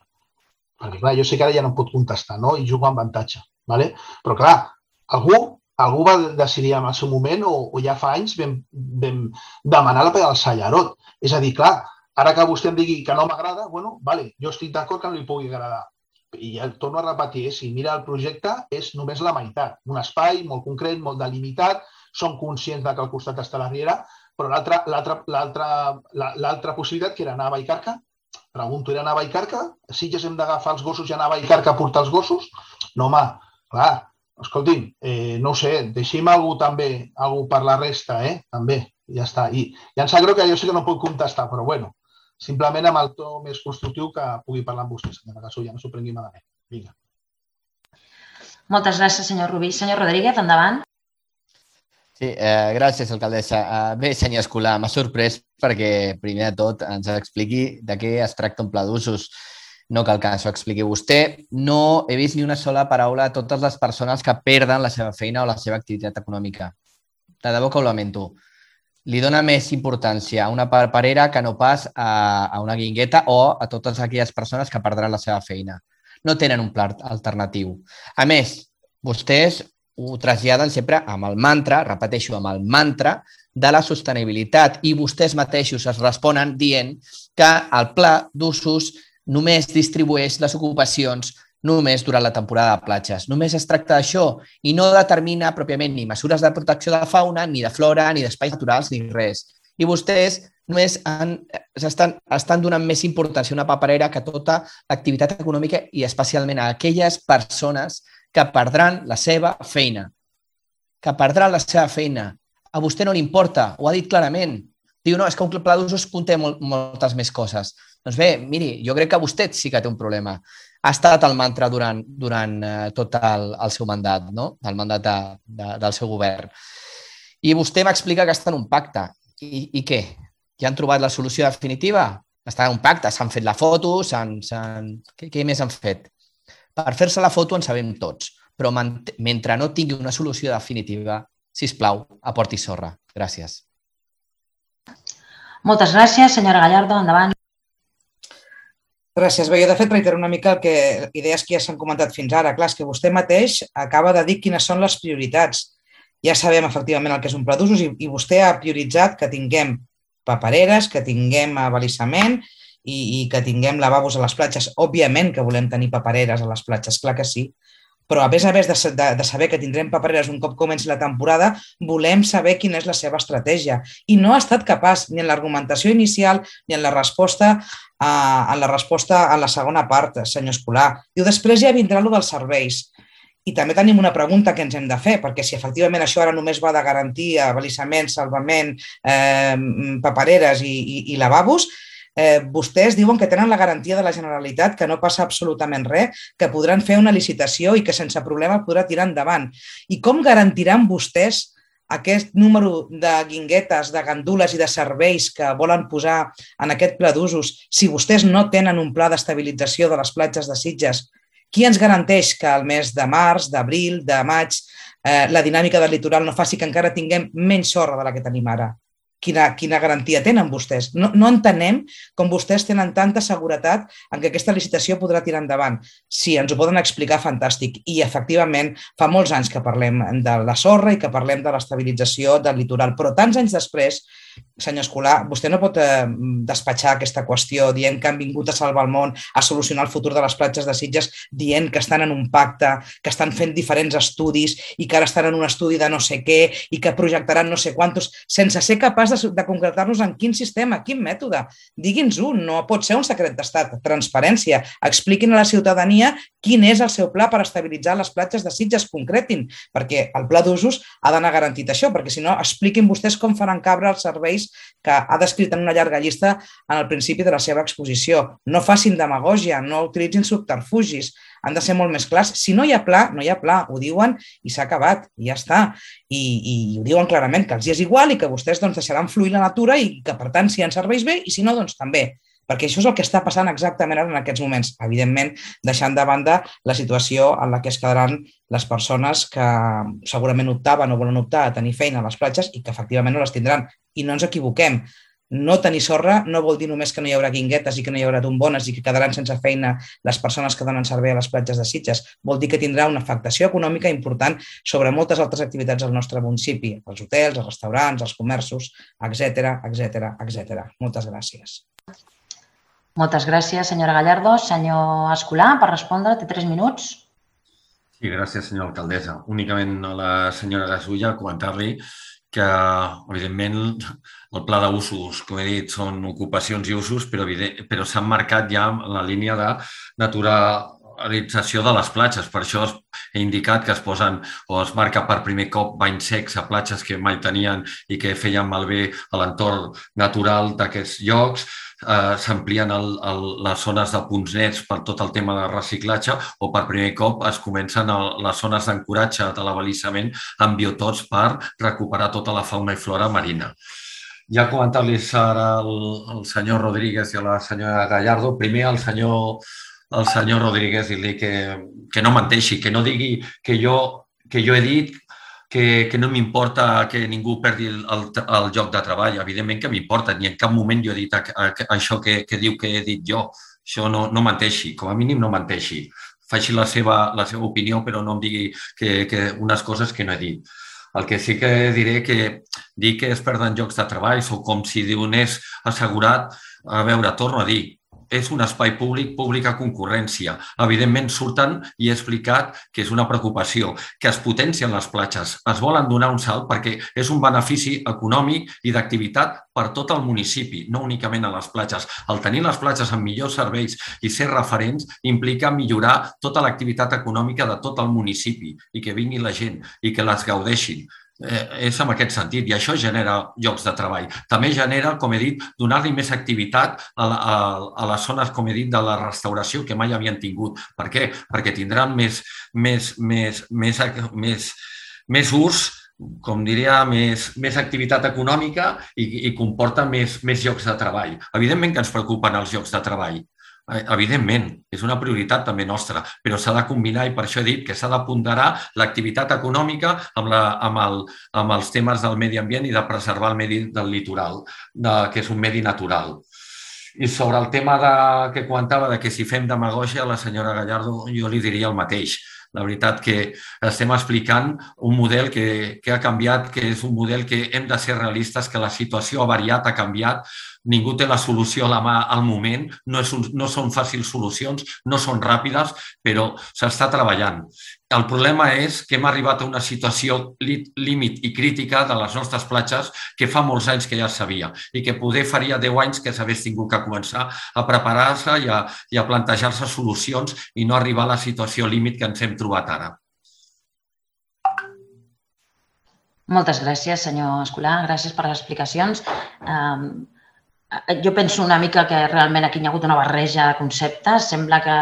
Perquè, clar, jo sé que ara ja no em pot contestar, no? I jugo amb avantatge, ¿vale? Però, clar, algú va decidir en el seu moment o ja fa anys vam demanar la platja del Sallaró. És a dir, clar, ara que vostè em digui que no m'agrada, bueno, vale, jo estic d'acord que no li pugui agradar. I ja torno a repetir, si mira el projecte és només la meitat. Un espai molt concret, molt delimitat, som conscients que al costat està la Riera, però l'altra possibilitat, que era anar a Vallcarca, pregunto, era anar a Vallcarca? Sí que hem d'agafar els gossos i anar a Vallcarca a portar els gossos? No, home, clar, escolti'm, no ho sé, deixi'm algú per la resta, també, ja està. I ja em sap greu que jo sé que no puc contestar, però bueno, simplement amb el to més constructiu que pugui parlar amb vostè, senyora Gasulla, no s'ho prengui malament. Vinga. Moltes gràcies, senyor Rubí. Senyor Rodríguez, endavant. Sí, gràcies, alcaldessa. Bé, senyor Escolà, m'ha sorprès perquè, primer de tot, ens expliqui de què es tracta un pla d'usos. No cal que s'ho expliqui vostè. No he vist ni una sola paraula a totes les persones que perden la seva feina o la seva activitat econòmica. De debò que ho lamento. Li dona més importància a una paperera que no pas a una guingueta o a totes aquelles persones que perdran la seva feina. No tenen un pla alternatiu. A més, vostès ho traslladen sempre amb el mantra, repeteixo, amb el mantra de la sostenibilitat i vostès mateixos es responen dient que el pla d'usos només distribueix les ocupacions només durant la temporada de platges. Només es tracta d'això i no determina pròpiament ni mesures de protecció de fauna, ni de flora, ni d'espais naturals, ni res. I vostès només estan donant més importància a una paperera que a tota l'activitat econòmica i especialment a aquelles persones que perdran la seva feina. Que perdran la seva feina. A vostè no li importa, ho ha dit clarament. Diu, no, és que un pla d'usos conté moltes més coses. Doncs bé, miri, jo crec que vostè sí que té un problema. Ha estat el mantra durant tot el seu mandat, no? El mandat del seu govern. I vostè m'explica que està en un pacte. I què? Ja han trobat la solució definitiva? Està en un pacte, s'han fet la foto, què més han fet? Per fer-se la foto en sabem tots, però mentre no tingui una solució definitiva, sisplau, aporti sorra. Gràcies. Moltes gràcies, senyora Gallardo. Endavant. Gràcies. Bé, jo de fet reitero una mica idees que ja s'han comentat fins ara. Clar, és que vostè mateix acaba de dir quines són les prioritats Ja sabem efectivament el que és un pla d'usos i vostè ha prioritzat que tinguem papereres, que tinguem abalisament i que tinguem lavabos a les platges. Òbviament que volem tenir papereres a les platges, clar que sí, però a més de saber que tindrem papereres un cop comenci la temporada, volem saber quina és la seva estratègia. I no ha estat capaç ni en l'argumentació inicial ni en la resposta a la segona part, senyor Escolà. Diu, després ja vindrà allò dels serveis. I també tenim una pregunta que ens hem de fer, perquè si efectivament això ara només va de garantir abalisament, salvament, papereres i lavabos, vostès diuen que tenen la garantia de la Generalitat, que no passa absolutament res, que podran fer una licitació i que sense problema podrà tirar endavant. I com garantiran vostès aquest número de guinguetes, de gandules i de serveis que volen posar en aquest pla d'usos si vostès no tenen un pla d'estabilització de les platges de Sitges? Qui ens garanteix que al mes de març, d'abril, de maig, la dinàmica del litoral no faci que encara tinguem menys sorra de la que tenim ara? Quina garantia tenen vostès? No entenem com vostès tenen tanta seguretat en que aquesta licitació podrà tirar endavant. Si ens ho poden explicar, fantàstic. I, efectivament, fa molts anys que parlem de la sorra i que parlem de l'estabilització del litoral. Però tants anys després, senyor Escolà, vostè no pot despatxar aquesta qüestió dient que han vingut a salvar el món, a solucionar el futur de les platges de Sitges, dient que estan en un pacte, que estan fent diferents estudis i que ara estan en un estudi de no sé què i que projectaran no sé quantos, sense ser capaç de concretar-nos en quin sistema, quin mètode. Digui'ns-ho, no pot ser un secret d'estat. Transparència. Expliquin a la ciutadania quin és el seu pla per estabilitzar les platges de Sitges, concretin, perquè el pla d'usos ha d'anar garantit això, perquè si no, expliquin vostès com faran cabre els serveis que ha descrit en una llarga llista en el principi de la seva exposició. No facin demagògia, no utilitzin subterfugis, han de ser molt més clars. Si no hi ha pla, no hi ha pla, ho diuen i s'ha acabat, i ja està. I ho diuen clarament, que els és igual i que vostès deixaran fluir la natura i que, per tant, si hi ha serveis bé i si no, doncs també. Perquè això és el que està passant exactament ara en aquests moments. Evidentment, deixant de banda la situació en la que es quedaran les persones que segurament optaven o volen optar a tenir feina a les platges i que efectivament no les tindran. I no ens equivoquem. No tenir sorra no vol dir només que no hi haurà guinguetes i que no hi haurà tombones i que quedaran sense feina les persones que donen servei a les platges de Sitges. Vol dir que tindrà una afectació econòmica important sobre moltes altres activitats al nostre municipi, els hotels, els restaurants, els comerços, etc. Moltes gràcies. Moltes gràcies, senyora Gallardo. Senyor Escolà, per respondre, té 3 minuts. Sí, gràcies, senyora alcaldessa. Únicament a la senyora Gasulla comentar-li que, evidentment, el pla d'usos, com he dit, són ocupacions i usos, però s'han marcat ja la línia de naturalització de les platges. Per això he indicat que es posen o es marca per primer cop banys secs a platges que mai tenien i que feien malbé a l'entorn natural d'aquests llocs. S'amplien les zones de punts nets per tot el tema de reciclatge o per primer cop es comencen les zones d'ancoratge de l'abalisament amb biotops per recuperar tota la fauna i flora marina. Ja comentar-los ara al senyor Rodríguez i a la senyora Gallardo. Primer al senyor Rodríguez dir-li que no menteixi, que no digui que jo he dit que no m'importa que ningú perdi el lloc de treball. Evidentment que m'importa, ni en cap moment jo he dit això que diu que he dit jo. Això no menteixi, com a mínim no menteixi. Faci la seva opinió, però no em digui unes coses que no he dit. El que sí que diré que dir que es perden llocs de treball o com si donés assegurat, a veure, torno a dir, és un espai públic, pública concurrència. Evidentment surten i he explicat que és una preocupació, que es potencien les platges, es volen donar un salt perquè és un benefici econòmic i d'activitat per tot el municipi, no únicament a les platges. El tenir les platges amb millors serveis i ser referents implica millorar tota l'activitat econòmica de tot el municipi i que vingui la gent i que les gaudeixin. És en aquest sentit i això genera llocs de treball. També genera, com he dit, donar-li més activitat a les zones, com he dit, de la restauració que mai havien tingut. Per què? Perquè tindran més ús, com diria, més activitat econòmica i comporta més llocs de treball. Evidentment que ens preocupen els llocs de treball. Evidentment, és una prioritat també nostra, però s'ha de combinar i per això he dit que s'ha de ponderar l'activitat econòmica amb els temes del medi ambient i de preservar el medi del litoral, que és un medi natural. I sobre el tema que comentava de que si fem demagògia, a la senyora Gallardo jo li diria el mateix. La veritat que estem explicant un model que ha canviat, que és un model que hem de ser realistes, que la situació ha variat, ha canviat, ningú té la solució a la mà al moment, no són fàcils solucions, no són ràpides, però s'està treballant. El problema és que hem arribat a una situació límit i crítica de les nostres platges que fa molts anys que ja es sabia i que poder faria 10 anys que s'hagués tingut que començar a preparar-se i a plantejar-se solucions i no arribar a la situació límit que ens hem trobat ara. Moltes gràcies, senyor Escolà. Gràcies per les explicacions. Jo penso una mica que realment aquí hi ha hagut una barreja de conceptes. Sembla que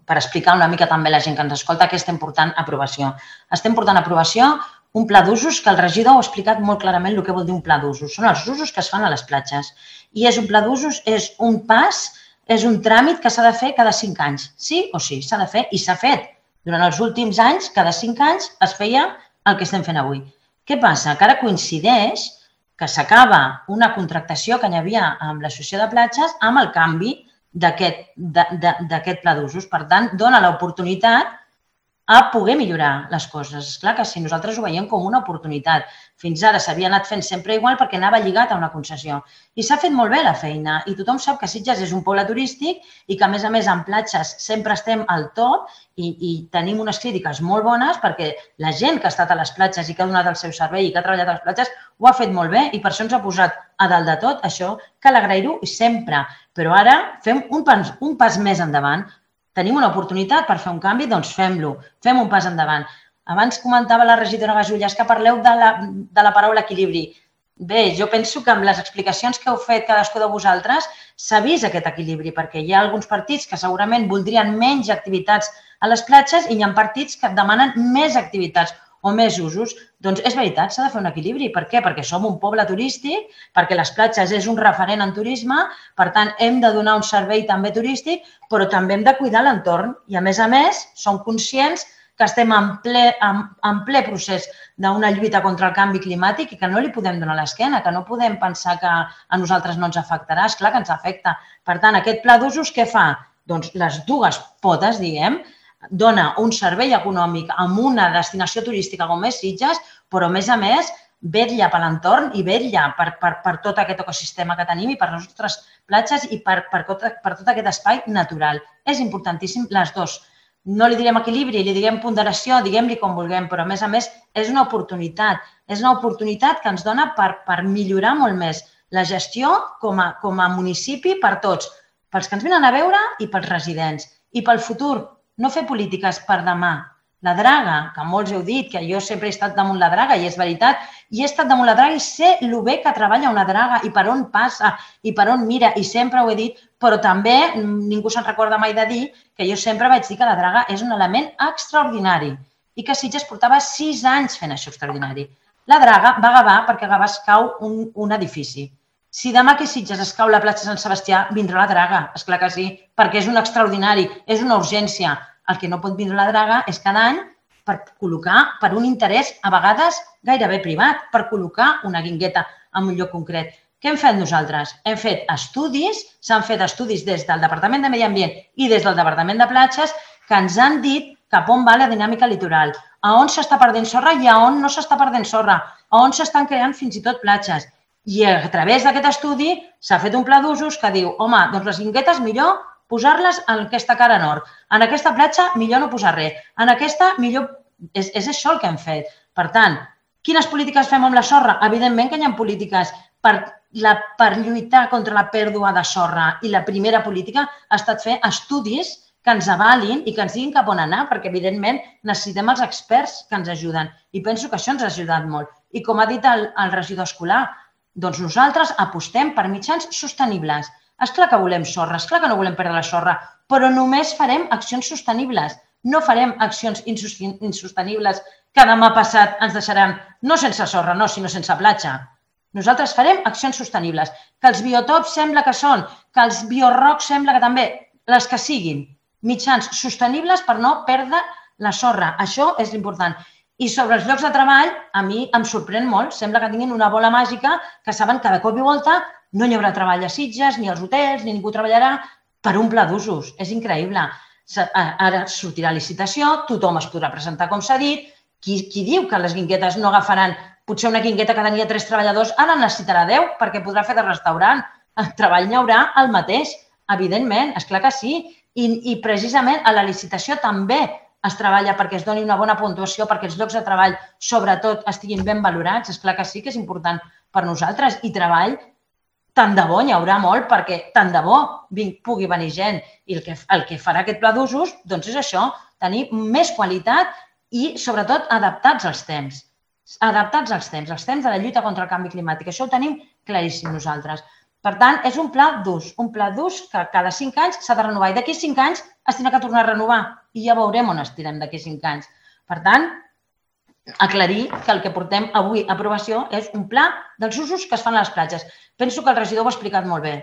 per explicar una mica també a la gent que ens escolta què estem portant a aprovació. Estem portant a aprovació un pla d'usos que el regidor ha explicat molt clarament el que vol dir un pla d'usos. Són els usos que es fan a les platges. I és un pla d'usos, és un pas, és un tràmit que s'ha de fer cada 5 anys. Sí o sí, s'ha de fer i s'ha fet. Durant els últims anys, cada 5 anys, es feia el que estem fent avui. Què passa? Que ara coincideix que s'acaba una contractació que hi havia amb l'associació de platges amb el canvi d'aquest pla d'usos. Per tant, dona l'oportunitat a poder millorar les coses. És clar que si nosaltres ho veiem com una oportunitat. Fins ara s'havia anat fent sempre igual perquè anava lligat a una concessió. I s'ha fet molt bé la feina i tothom sap que Sitges és un poble turístic i que, a més, en platges sempre estem al top i tenim unes crítiques molt bones perquè la gent que ha estat a les platges i que ha donat el seu servei i que ha treballat a les platges ho ha fet molt bé i per això ens ha posat a dalt de tot. Això cal agrair-ho sempre. Però ara fem un pas més endavant. Tenim una oportunitat per fer un canvi, doncs fem-lo, fem un pas endavant. Abans comentava la regidora Gasullas que parleu de la paraula equilibri. Bé, jo penso que amb les explicacions que heu fet cadascú de vosaltres s'ha vist aquest equilibri, perquè hi ha alguns partits que segurament voldrien menys activitats a les platges i hi ha partits que demanen més activitats o més usos. Doncs és veritat, s'ha de fer un equilibri. Per què? Perquè som un poble turístic, perquè les platges és un referent en turisme, per tant, hem de donar un servei també turístic, però també hem de cuidar l'entorn. I, a més, som conscients que estem en ple procés d'una lluita contra el canvi climàtic i que no li podem donar l'esquena, que no podem pensar que a nosaltres no ens afectarà. És clar que ens afecta. Per tant, aquest pla d'usos què fa? Doncs les dues potes, diguem, dona un servei econòmic amb una destinació turística com és Sitges, però, a més, vetlla per l'entorn i vetlla per tot aquest ecosistema que tenim i per les nostres platges i per tot aquest espai natural. És importantíssim les dues. No li direm equilibri, li direm ponderació, diguem-li com vulguem, però, a més, és una oportunitat. És una oportunitat que ens dona per millorar molt més la gestió com a municipi per tots, pels que ens venen a veure i pels residents. I pel futur, no fer polítiques per demà. La draga, que molts heu dit, que jo sempre he estat damunt la draga, i és veritat, i he estat damunt la draga i sé el bé que treballa una draga i per on passa i per on mira, i sempre ho he dit, però també ningú se'n recorda mai de dir que jo sempre vaig dir que la draga és un element extraordinari i que Sitges portava 6 anys fent això extraordinari. La draga va a Gavà perquè a Gavà es cau un edifici. Si demà que a Sitges es cau la platja Sant Sebastià, vindrà la draga, esclar que sí, perquè és un extraordinari, és una urgència. El que no pot vindre la draga és cada any per col·locar, per un interès a vegades gairebé privat, per col·locar una guingueta en un lloc concret. Què hem fet nosaltres? Hem fet estudis, s'han fet estudis des del Departament de Medi Ambient i des del Departament de Platges que ens han dit cap on va la dinàmica litoral, a on s'està perdent sorra i a on no s'està perdent sorra, a on s'estan creant fins i tot platges. I a través d'aquest estudi s'ha fet un pla d'usos que diu, home, doncs les guinguetes millor posar-les en aquesta cara nord. En aquesta platja millor no posar res. En aquesta millor... És això el que hem fet. Per tant, quines polítiques fem amb la sorra? Evidentment que hi ha polítiques per lluitar contra la pèrdua de sorra i la primera política ha estat fer estudis que ens avalin i que ens diguin cap on anar, perquè, evidentment, necessitem els experts que ens ajuden. I penso que això ens ha ajudat molt. I com ha dit el regidor escolar, doncs nosaltres apostem per mitjans sostenibles. És clar que volem sorra, és clar que no volem perdre la sorra, però només farem accions sostenibles. No farem accions insostenibles que demà passat ens deixaran no sense sorra, no, sinó sense platja. Nosaltres farem accions sostenibles, que els biotops sembla que són, que els biorocs sembla que també, les que siguin, mitjans sostenibles per no perdre la sorra. Això és l'important. I sobre els llocs de treball, a mi em sorprèn molt. Sembla que tinguin una bola màgica que saben que de cop i volta no hi haurà treball a Sitges, ni als hotels, ni ningú treballarà per un pla d'usos. És increïble. Ara sortirà licitació, tothom es podrà presentar com s'ha dit. Qui diu que les guinguetes no agafaran, potser una guingueta que tenia 3 treballadors, ara en necessitarà 10 perquè podrà fer de restaurant. El treball n'hi haurà el mateix, evidentment, esclar que sí. I precisament a la licitació també es treballa perquè es doni una bona puntuació, perquè els llocs de treball, sobretot, estiguin ben valorats. Esclar que sí que és important per nosaltres. I treball, tant de bo n'hi haurà molt, perquè tant de bo pugui venir gent. I el que farà aquest pla d'usos doncs és això, tenir més qualitat i, sobretot, adaptats als temps. Adaptats als temps de la lluita contra el canvi climàtic. Això ho tenim claríssim nosaltres. Per tant, és un pla d'ús que cada 5 anys s'ha de renovar i d'aquí 5 anys es tindrà que tornar a renovar i ja veurem on estirem d'aquí 5 anys. Per tant, aclarir que el que portem avui a aprovació és un pla dels usos que es fan a les platges. Penso que el regidor ho ha explicat molt bé.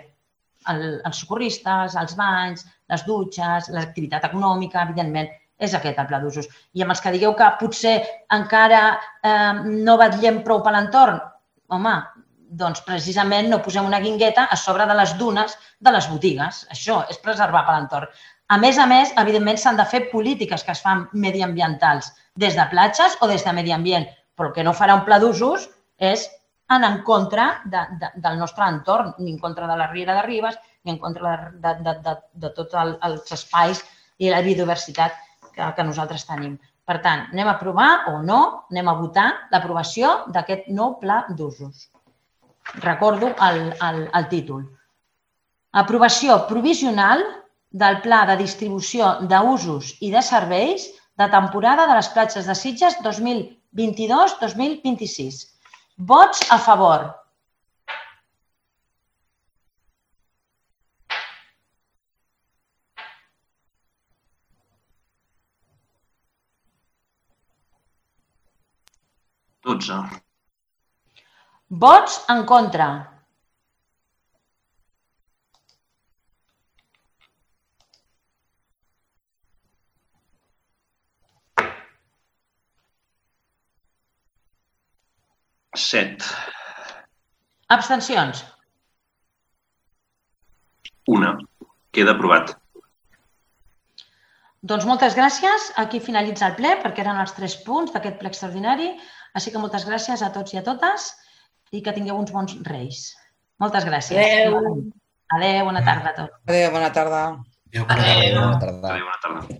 Els socorristes, els banys, les dutxes, l'activitat econòmica, evidentment, és aquest el pla d'usos. I amb els que digueu que potser encara no vetllem prou per l'entorn, home, doncs precisament no posem una guingueta a sobre de les dunes de les botigues. Això és preservar per l'entorn. A més, evidentment, s'han de fer polítiques que es fan mediambientals des de platges o des de medi ambient, però el que no farà un pla d'usos és anar en contra del nostre entorn, ni en contra de la Riera de Ribes, ni en contra de tots els espais i la biodiversitat que nosaltres tenim. Per tant, anem a aprovar o no, anem a votar l'aprovació d'aquest nou pla d'usos. Recordo el títol. Aprovació provisional del Pla de Distribució d'Usos i de Serveis de temporada de les platges de Sitges 2022-2026. Vots a favor. Vots en contra. Set. Abstencions. Una. Queda aprovat. Doncs moltes gràcies. Aquí finalitza el ple perquè eren els 3 punts d'aquest ple extraordinari. Així que moltes gràcies a tots i a totes i que tingueu uns bons reis. Moltes gràcies. Adéu. Adéu, bona tarda a tots. Adéu, bona tarda. Adéu, bona tarda. Adéu, bona tarda.